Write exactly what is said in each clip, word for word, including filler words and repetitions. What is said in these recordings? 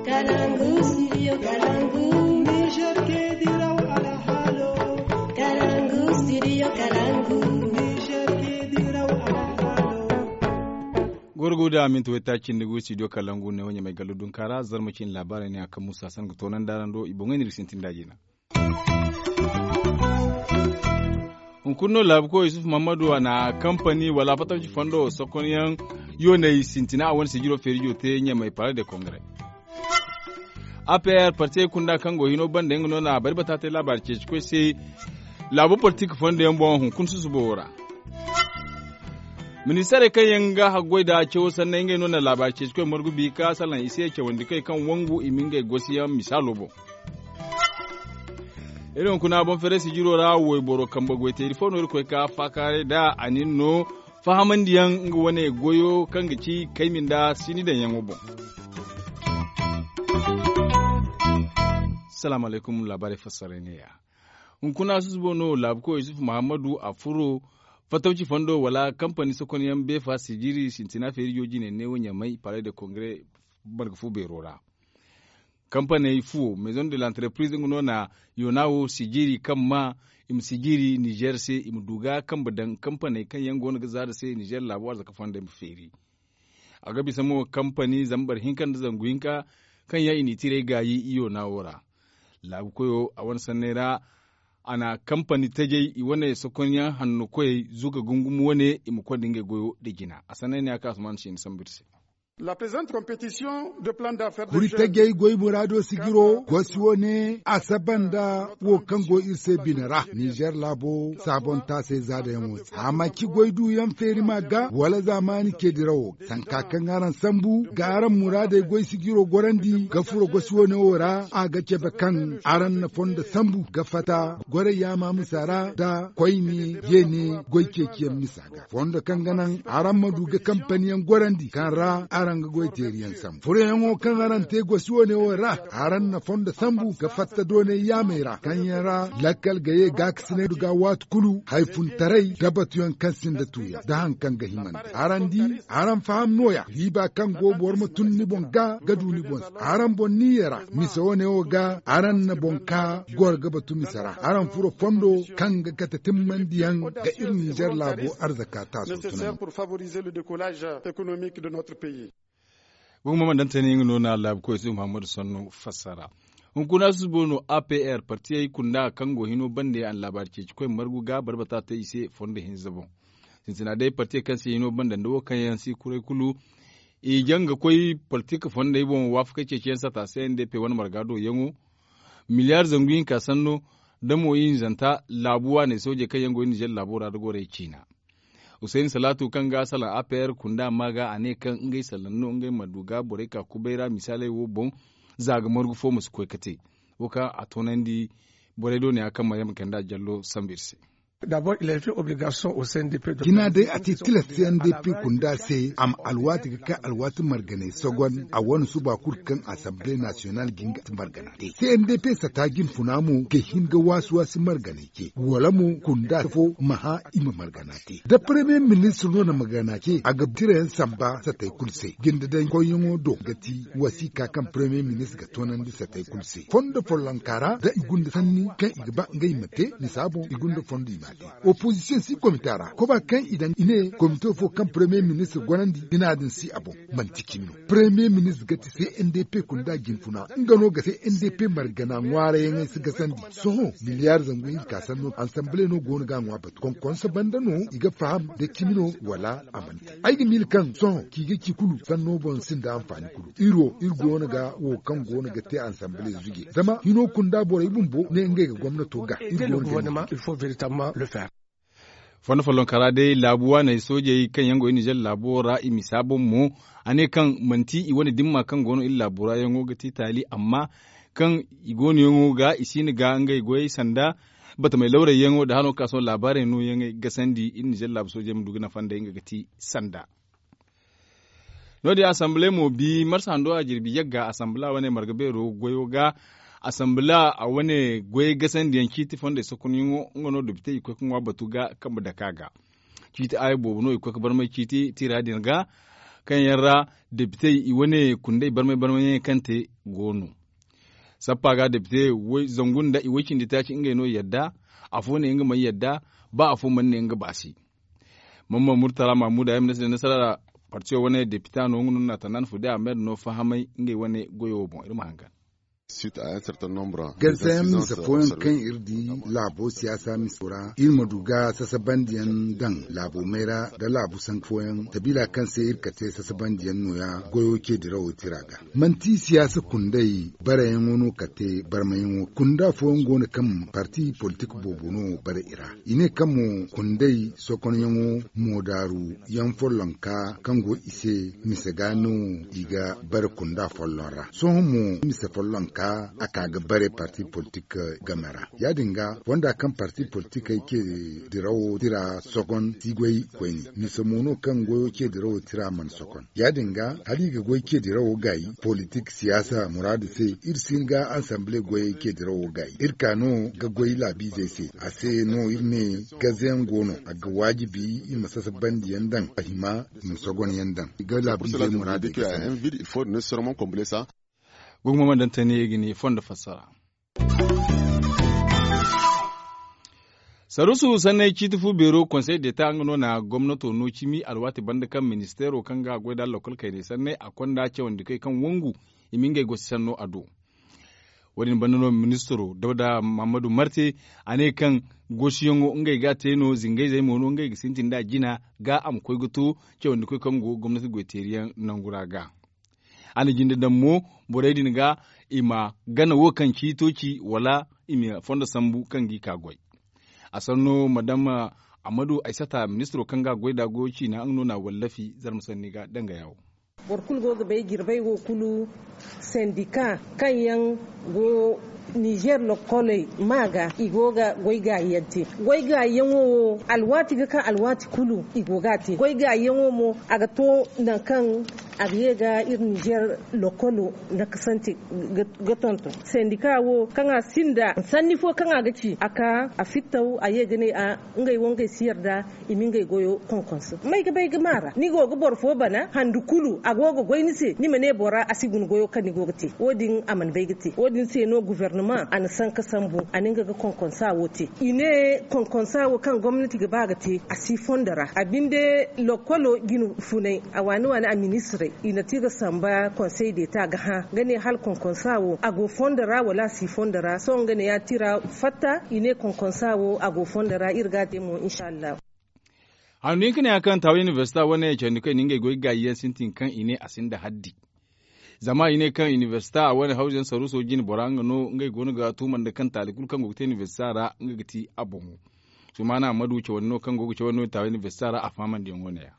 Kalangu, studio Kalangu. Niger ke diraw alhalo. Kalangu, studio Kalangu. Niger ke diraw alhalo. Gorgo da minti wayta cindi gu studio Kalangu ne wanya mai gallo dunkara zarma cin labarai ne akan musa san ga tonan darando i boŋay nir sintin da jina. Hunkuna no laabu koy yusuf muhammadu a na kampani wala fatabci fondo sokonyaŋ yoney sintina a wane sijiro feerijo te ɲamay pare de kongre. A p r partiyey kunda kaŋ go hino banda nga no na bari bata te laabaari ceeci koy se. Laabu politik fondo yaŋ boŋ hunkuna susubo wo ra. Ministarey kaŋ yaŋ ga haggoy da cawo sanney ngey no na laabaari ceeci koy margu bi ka salaŋ i se cawandi koy kaŋ wangu i ma ngey gosiyaŋ misaalo boŋ. Iri hunkuna boŋ fere sijiro ra wayboro kambe goyteeri fo no iri koy ka faakaaray da a nin no fahamandiyaŋ nga wane goyo kaŋ ga ci kaymi nda sini daŋyaŋo boŋ. Salaamu alaykum laabaarey fassaray neeya. Hunkuna susubo no laabuko yusuf muhammadu a furo fatawci fondo wala kampani sokonyaŋ beefa sijiri sintina feerijo jine neewo ɲamay palais de kongre marga fu beero ra. Kampaney fuwo maison de l'entreprise nga no na yona wo sijiri kaŋ ma i ma sijiri nizer se i ma du ga kambe daŋ kampaney kaŋ yaŋ go no ga zaada se nizer laabo arzaka fondo i ma feeri. A ga bisa mo kampani zambar hinka nda zangu hinka kaŋ yaŋ i n'i tiray gaayi i yona wo ra. Laabu koyo a wane sanney ra a na kampani tajay i wane sokonyaŋ hanno koyey zuga gungum wane i ma konda ngey goyo nda jina a sanney ne a ka asuman siini sambu iri se. Kuri tajey goy muraado sijiro gosi wane a saba nda wo kaŋ go iri se bine ra nizer laabo saabontaasey zaadayaŋo se a ma ci goy duuyaŋ feeri ma ga wala zaamaani ce dirawo ga sanka kaŋ araŋ sambu ga araŋ muraadey goy sijiro gorandi ga furo gosi wane wo ra a ga cabe kaŋ araŋ na fondo sambu ga fatta goray yaama misa ra nda koyne yeene goy ceeciyaŋ misa ga fondo kaŋ ga naŋ araŋ ma du ga kampaniyaŋ gorandi kaŋ ra araŋ ga goy teeriyaŋ sambu furoyaŋo kaŋ araŋ te gosi wane wo ra araŋ na fondo sambu ga fatta doonay yaamey ra kaŋ yaŋ ra lakkal ga ye gaakasinay du ga waati kulu hayfuntaray da batuyaŋ kaŋ sinda tuuyaŋ da hari kaŋ ga himandi araŋ di araŋ faham nooya riiba kaŋ go boro ma tun ni boŋ ga ga du ni boŋ se araŋ boŋ niiya ra mise wane wo ga araŋ na boŋ ka goro ga batu mise ra araŋ furo fondo kaŋ ga kate timmandiyaŋ ga iri nizer laabo arzaka taaso tunandi. Gumo ma daŋ teenay nga no na laabu koy se muhammadu sannu fassara. Hunkuna susubo no a p r partiyey kunda kaŋ go hino bande a na laabaari ceeci koy margu ga barbata te i se fondo hinza boŋ. Sintina day partiyey kaŋ se hino bande nda wo kaŋ yaŋ si kuray kulu i jaŋ ga koy politik fondey boŋ waafakey ceeciyaŋ sata c n d p wane marga do yaŋo miliyaari zangu hinka sanno da mo ihinzanta laabu waaney soojey kaŋ yaŋ go iri nizer laabo ra da gorey ciina. Husayni salaatu kaŋ ga salaŋ a p r kunda ma ga a ne kaŋ ngey salaŋ no ngey ma du ga borey ka kubay ra misaaley wo boŋ za ga margu fo ma si koy ga te. Wo kaŋ a toonandi borey do ne ya kaŋ ma yamma kanda jallo sambu iri se. Cina day a te tilas c n d p kunda se a ma alwaati ga kay alwaati marganey sogon a wane suba kulu kaŋ asamble nasiyonal ga hin ga margana te c n d p sata jinfuna mo ga hin ga waasi waasi marganey ce wala mo kunda fo ma hã i ma margana te da premier ministre no na margana ce a ga tirayaŋ samba satey kulu se jinde daŋ koyyaŋo do ga ti wasiika kaŋ premier ministre ga toonandi satey kulu se fondo follonka ra da i gunda sanni kaŋ i ga ba ngey ma te misa boŋ i gunda fondo i ma te. Opozisiyoŋ si komita ra koba kaŋ i daŋ i ne komito fo kaŋ premier ministre gorandi bina din si a boŋ. Manti cimi no premier ministre ga ti c n d p kunda jinfuna nga no ga c n d p margana ŋwaarayaŋey si gasandi sohõ miliyaari zangu hinka sanno ansamble no go no ga a ŋwa batu konkonso banda no i ga faham da cimi no wala a manti ay ga miila kaŋ sohõ ci ga ci kulu sanno boŋ sinda anfaani kulu iri wo iri go no ga wo kaŋ go no ga te ansamble zuje zama hino kunda borey bumbo ne ngey ga gomnato ga iri go no ga ne. Fondo follonka ra day laabu waaney soojey kaŋ yaŋ go iri nizer laabo ra i misa boŋ mo a ne kaŋ manti i wane dimma kaŋ go no iri laabo ra yaŋo ga ti taali amma kaŋ i go no yaŋo ga i siina ga ngey goyey sanda batamey lawrey yaŋo nda hano ga ka sohõ laabaarey no yaŋey gasandi iri nizer laabu soojey ma du ga nafa nd'ey nga ga ti sanda. No- din asamble mo bi marsa hando a jirbi yagga asambla wane marga beero goyo ga asambla a wane goyey gasandiyaŋ ciiti fondey sokonyaŋo nga no dopitey i koy ga ŋwa batu ga kambe dake a ga. Ciiti aya boobo no i koy ga barmay ciiti tira din ga kaŋ yaŋ ra depite i wane kundey barmay barmay yaŋ kaŋ te go no. Sappa ga depite zangu nda i way cindi taaci ngey no yadda. Afo ne nga mana yadda. Ba afo mana ne nga ba se. Mamman murtala mahmuda yaŋ ma ne se da nasara partiyo wane depita no nga no na tandaan fu day a ma yadda no fahamay ngey wane goyo wo boŋ iri ma hangan. Gansayaŋ mise fooyaŋ kaŋ iri di laabo siyaasa miso ra iri ma du ga sasabandiyaŋ daŋ laabo mayra nda laabu sanka fooyaŋ sabiila kaŋ se iri kate sasabandiyaŋ nooya goyo ce dirawo tira ga. Manti siyaasa kundey bareyaŋo no kate barmayaŋo kunda fooyaŋ go no kaŋ parti politik boobo no bare i ra. I ne kaŋ mo kundey sokonyaŋo moodaaru yaŋ follonka kaŋ go i se mise ga no i ga bare kunda folloŋ ra sohõ mo mise follonka a ka ga bare parti politik game ra. Ya- din ga fonda kaŋ parti politikey ce dirawo tira sogon si goy koyne mise mo no kaŋ goyo ce dirawo tira mana sogon. Ya- din ga hala i ga goy ce dirawo gaayi politik siyaasa muraadu se iri si hin ga ansamble goyey ce dirawo gaayi iri ka no ga goy laabiizey se a se no iri ne gaze yaŋ go no a ga waajibi i ma sasabandiyaŋ daŋ a hima i ma sogonyaŋ daŋ i ga laabiizey muraadu ga sanda. Guguma ma daŋ tani i ga ne fondo fassara. Sarusu sanney ciiti fu beero konsey deta nga no na gomnato no cimi alwaati banda kaŋ ministeero kaŋ ga goy da lokol kaynay sanney a konda cawandikoy kaŋ wangu i ma ngey gosi sanno a do. Wo- din banda no ministeero dawda mahammadu marte a ne kaŋ gosiyaŋo ngey ga a te no zingayzey mo no ngey ga sintin nd'a jina ga a ma koy ga to cawandikoy kaŋ go gomnati goyteeriyaŋ nangu ra ga. A na jinde daŋ mo borey din ga i ma gana wo kaŋ ciito ci wala i ma fondo sambu kaŋ g'i ka goy. A sanno madama amadu aysata ministiro kaŋ ga a goy nd'a goyo ciina nga no na a wallafi zarma sanni ga danga yaawo. Boro kulu go ga bay jirbey wo kulu sendika kaŋ yaŋ go nizer lokkoley ma ga i go ga goy gaayi yaŋ te. Goy gaayi yaŋo wo alwaati ga ka alwaati kulu i go ga a te goy gaayi yaŋo mo a ga to nangu kaŋ a ga ye ga iri nizer lokkolo nakasante ga tonton sendika wo kaŋ a sinda sanni fo kaŋ a ga ci a ka a fittaw a ye ga ne a ngey wo ngey si yarda i ma ngey goyo konkonso may ga bay ga ma ra ni go ga boro fo bana handu kulu a go ga goy ni se ni ma ne bora a si guna goyo kaŋ ni go ga te wo- din a mana bay ga te wo- din se no guvernama a na sanka sambu a na nga ga konkonsa wo te i ne konkonsa wo kaŋ gomnati ga ba ga te a si fondo ra a binde lokkolo jina funay a waani waani a ministirey i na ti ga samba konsey deeta ga hã ga ne hala konkonsa wo a go fondo ra wala a si fondo ra sohõ nga ne ya tira fatta i ne konkonsa wo a go fondo ra iri ga a te mo inshallahu. Handu hinka ne ya kaŋ taawa inibersita wane cawandi kaŋ i na ngey goy gaayi yaŋ sintin kaŋ i ne a sinda haddi. Zama i ne kaŋ inibersita wane hawzu yaŋ saruuso jine bora nga no ngey go no ga tuuma nda kaŋ taali kulu kaŋ go ga te inibersita ra nga ga ti a boŋo. Sumaana ammadu cawandi no kaŋ go ga cawandi no taawa inibersita ra a fahamandi yaŋo ne ya.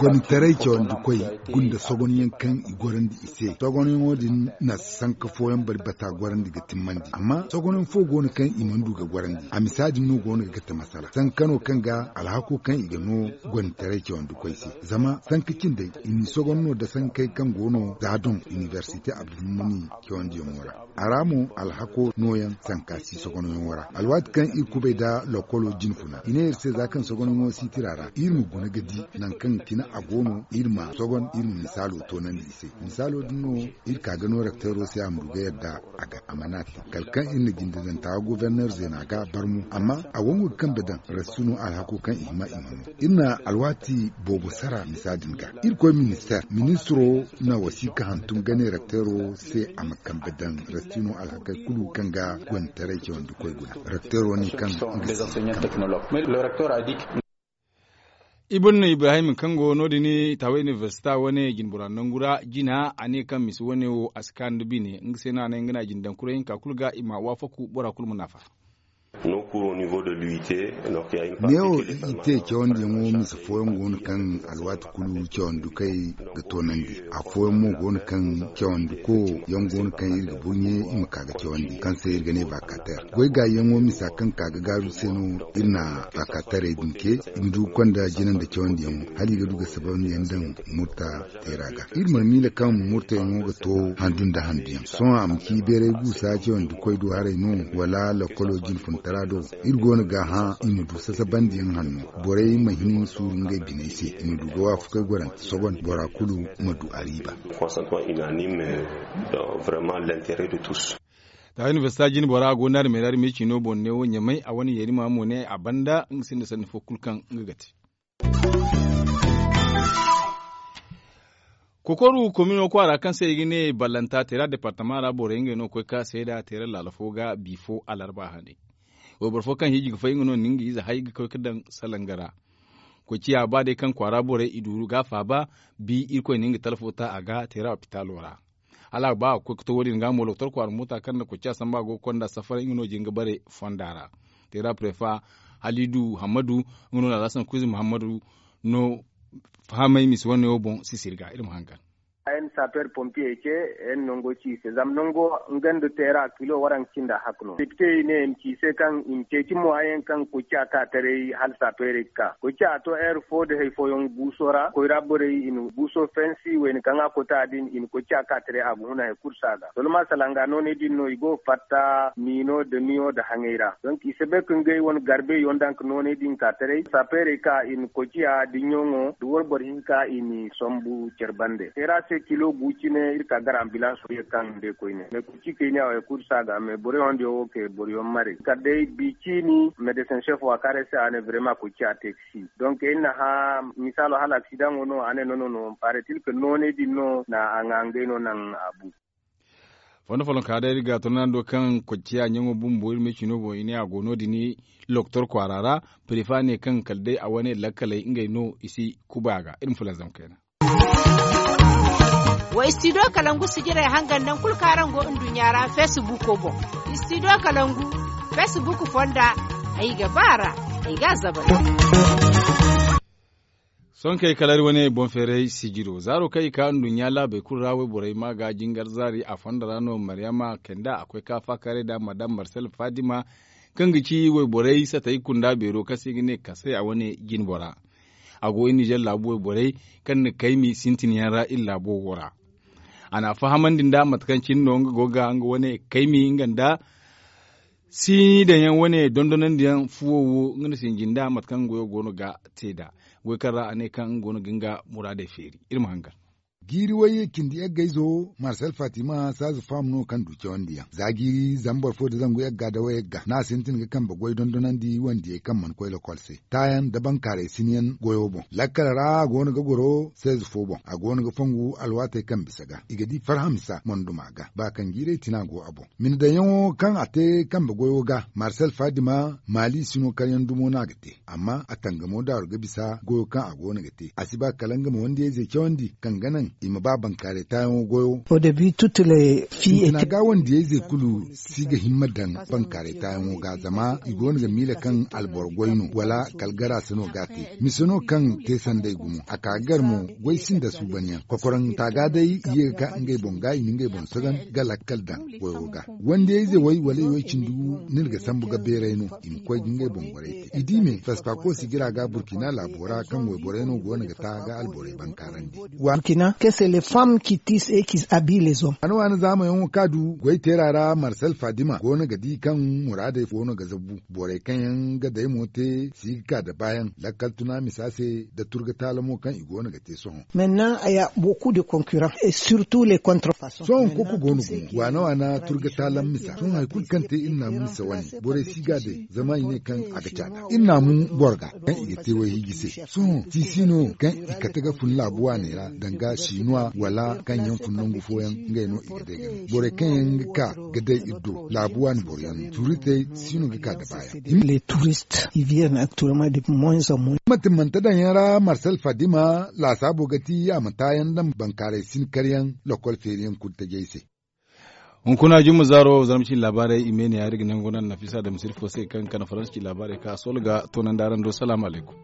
Gonditaray cawandi koy gunda sogonyaŋ kaŋ i gorandi i se sogonyaŋo din na sanka fooyaŋ bari bata gorandi ga timmandi amma sogonyaŋ fo go no kaŋ i mana du ga gorandi a misa din no go no ga te masala sanka no kaŋ ga alhako kaŋ i ga no gonditaray cawandi koy se zama sanka cindey i n'i sogon no da sankey kaŋ go no za doŋ inibersite abdulmumuni cawandiyaŋo ra. A ra mo alhako nooyaŋ sanka si sogonyaŋo ra alwaati kaŋ iri kubay nda lokolo jine funa i ne iri se za kaŋ sogonyaŋo si tira ra iri ma guna ga di nangu kaŋ cine a go no iri ma sogon iri ma misaalo toonandi i se. Misaalo din no iri ka ga no rekteero se a ma du ga yadda a ga a mana te kala kaŋ iri na jinde daŋ taawa goforneer zeena ga barmo amma a wangu ga kambe daŋ restino alhako kaŋ i hima i ma no. Iri na alwaati boobo sara misa din ga irkoy ministeer ministiro na wasiika hantum gane rekteero se a ma kambe daŋ restino alhakey kulu kaŋ ga gonditaray cawandi koy guna rekteero ne kaŋ nga si kambe. Ibn ibrahim kaŋ go no- din taawa inibersita wane jinbora nangu ra jina a ne kaŋ misi wane wo a si kaanu nda bine nga se no a ne nga na a jine daŋ kuray hinka kulu ga i ma waafaku bora kulu ma naafa. Neewo i te cawandiyaŋo mise fooyaŋ go no kaŋ alwaati kulu cawandi kay ga toonandi. Afooyaŋ mo go no kaŋ cawandi ko yaŋ go no kaŋ iri ga burɲe i ma ka ga cawandi kaŋ se iri ga ne vakater goy gaayiyaŋo misa kaŋ ka ga gaaru se no iri na vakaterey din ce i ma du ga konda jina nda cawandiyaŋo hala i ga du ga sabandiyaŋ daŋ murta teera ga iri mana miila kaŋ murtayaŋo ga to handu nda handuyaŋ sohõ a ma ci beeray guusa cawandi koy do haray no wala lokolo jinfuntara do Iri go no ga hã i ma du sasabandiyaŋ hanno, borey ma hin suuru ngey biney se, i ma du ga waafakey gorante sogon, bora kulu ma du a riiba. Taahir universita jine bora a go naari meeraari me ciino boŋ neewo ɲamay a wane yeeri ma mo ne a banda nga sinda sanni fo kulu kaŋ nga ga te. Kokoru komino kwaara kaŋ se i ga ne ballanta teera departama ra borey ngey no ga koy ka seeda teera laala fo ga bi fo alarba hane. Wayboro fo kaŋ hiiji ga fay nga no na nga ize hay ga koy ga daŋ salanga ra. Koy ciya ba day kaŋ kwaara borey i duuru ga a faaba, bi irkoy na nga talfo ta a ga teera opitaalo ra. Hala a ga ba a ga koy ga to wo- din ga mo loktor kwaara moota kaŋ na koy ciya samba go ga konda safara nga no jin ga bare fonda ra. Teera prefa halidu hammadu nga no na alhasan kuzi muhammadu no fahamay misi wane wo boŋ sisiri ga iri ma hangan. Ay na sapeer pompiye ce ay na nango ci i se zama nango nga nda teera kilo waranka cinda hakka no depite i ne i ma ci i se kaŋ i ma ceeci mo hayaŋ kaŋ koy ciya ka taray hala sapeerey ga ka koy ciya a to heure fo nda hari fooyaŋ guuso ra koy ra borey i na guuso fensi wayna kaŋ a kota din i na koy ciya ka taray a ga huna hari kulu se a ga soloma salanga nooney din no i go ga fatta miino nda miyo nda haŋay ra donk i si bay ka ngey wane garbe yaŋ daŋ ka nooney din ka taray sapeerey ka i na koy ciya diɲɲoŋo nda wayboro hinka i n'i sombu care bande teera se kilo gu cine iri ka gar ambilans wo ye kaŋ day koyne mais kulu ci kayniya wo hari kulu se a ga mais boro yaŋ diyaŋ wo kay boro yaŋ mare kala day bi ciini medesin chef wo a kaarey se a ne brema koy ciya te ga si donk iri na hã misaalo hala aksidaŋo no a ne no no no paretil ka nooney din no na a ŋwa ngey no naŋ a bu. Fondo follonka day iri ga toonandi kaŋ koy ciya ɲaŋo bumbo iri me cino boŋ i ne a go no- din loktor kwaara ra prefa ne kaŋ kala day a wane lakkaley ngey no i si kubay a ga iri ma fulanzam kayna. Wa istidiyo kalangu sijirey hangan naŋ kulu kaŋ araŋ go nduɲɲa ra feesibuuko boŋ. Istidiyo kalangu feesibuuku fonda ay ga ba a ra ay ga a zabari. Sohõ kaŋ ay kala iri wane boŋ feeray sijiro zaaro kaŋ i ka nduɲɲa laabey kulu ra wayborey ma ga jingar zaari a fonda ra no mariyama kenda a koy ka faakaaray nda madam marsel fadima kaŋ ga ci wayborey satay kunda beero kaŋ se i ga ne kasay a wane jinbora. A go nizer laabu wayborey kaŋ na kaymi sintinyaŋ ra iri laabo wo ra. A na a fahamandi nda mate kaŋ cine no nga go ga nga wane kaymi nga nda siini daŋyaŋ wane dondonandiyaŋ fuwo wo nga na sinji nda mate kaŋ nga goyo go no ga te nd'a goy kaŋ ra a ne kaŋ nga go no ga nga muraadey feeri iri ma hangan. Jiiri wayye cindi yaggayzo marsel fatima saaza faham no kaŋ du cawandiyaŋ za jiiri zama boro fo nda zangu yagga nda wayagga no a sintin ga kambe goy dondonandi wandiyey kaŋ mana koy lokol se taayaŋ nda bankaaray sinyaŋ goyo boŋ lakkal ra a go no ga goro seeze fo boŋ a go no ga fongu alwaatey kaŋ bisa ga i ga di farhamisa monduma ga ba kaŋ jiirey tina go a boŋ. Mina daŋyaŋo kaŋ a te kambe goyo ga marsel fadima maali sino karyaŋ dumo no a ga te amma a tangamo daaru ga bisa goyo kaŋ a go no ga te a si ba kala nga ma wandiyayzey cawandi kaŋ ga naŋ i ma ba bankaaray taayaŋo goyo. Sintina ga wandiyayzey kulu si ga himma daŋ bankaaray taayaŋo ga zama i go no ga miila kaŋ alboro goy no wala kala gara se no ga a te mise no kaŋ te sanday gumo a ka ga gar mo goy sinda suubanyaŋ kokoraŋ taaga day i ye ga ka ngey boŋ ga i na ngey boŋ sagan ga lakkal daŋ goyo ga wandiyayze way wala i way cindi gu no iri ga sambu ga beeray no i ma koy ga ngey boŋ borey te i di me fespako sigira ga burkina laabo ra kaŋ wayborey no go no ga ta ga alborey bankaarandi. Burkina que c'est les femmes qui tissent et qui habillent les hommes. Waana zaamayaŋo ka du goy teera ra marsel fadima go no ga di kaŋ muraadey go no ga zabu borey kaŋ yaŋ ga day mo te si ga ka da baayaŋ lakkal tuna misa se da turga taala mo kaŋ i go no ga te sohõ. Maintenant il y a beaucoup de concurrence et surtout les contrefaçons. Sohõ koko go no gumo waana waana turga taala misa sohõ hari kulu kaŋ te iri naamu misa wane borey si ga day zama i ne kaŋ a ga caada iri naamu boro ga kaŋ i ga te wayhiiji se sohõ tiisi no kaŋ i kate ga fun laabu waaney ra danga sinuwa wala kaŋ yaŋ fun nangu fooyaŋ ngey no i ga day ga no borey kaŋ yaŋ ga ka ga day iri do laabu waani boroyaŋ no turitey si no ga ka da baayaŋ. Manti mante daŋ yaŋ ra marsel fadima laasaabo ga ti a ma taayaŋ daŋ bankaaray sin karyaŋ lokol feeriyaŋ kulu tajey se. Hunkuna jumma zaaro zarma cine laabaarey i me ne ya iri ga nangu naŋ nafisa da misiri fo se kaŋ ga kana faransa cine laabaarey kaŋ a sohõ ga toonandi araŋ do salaamu alaykum.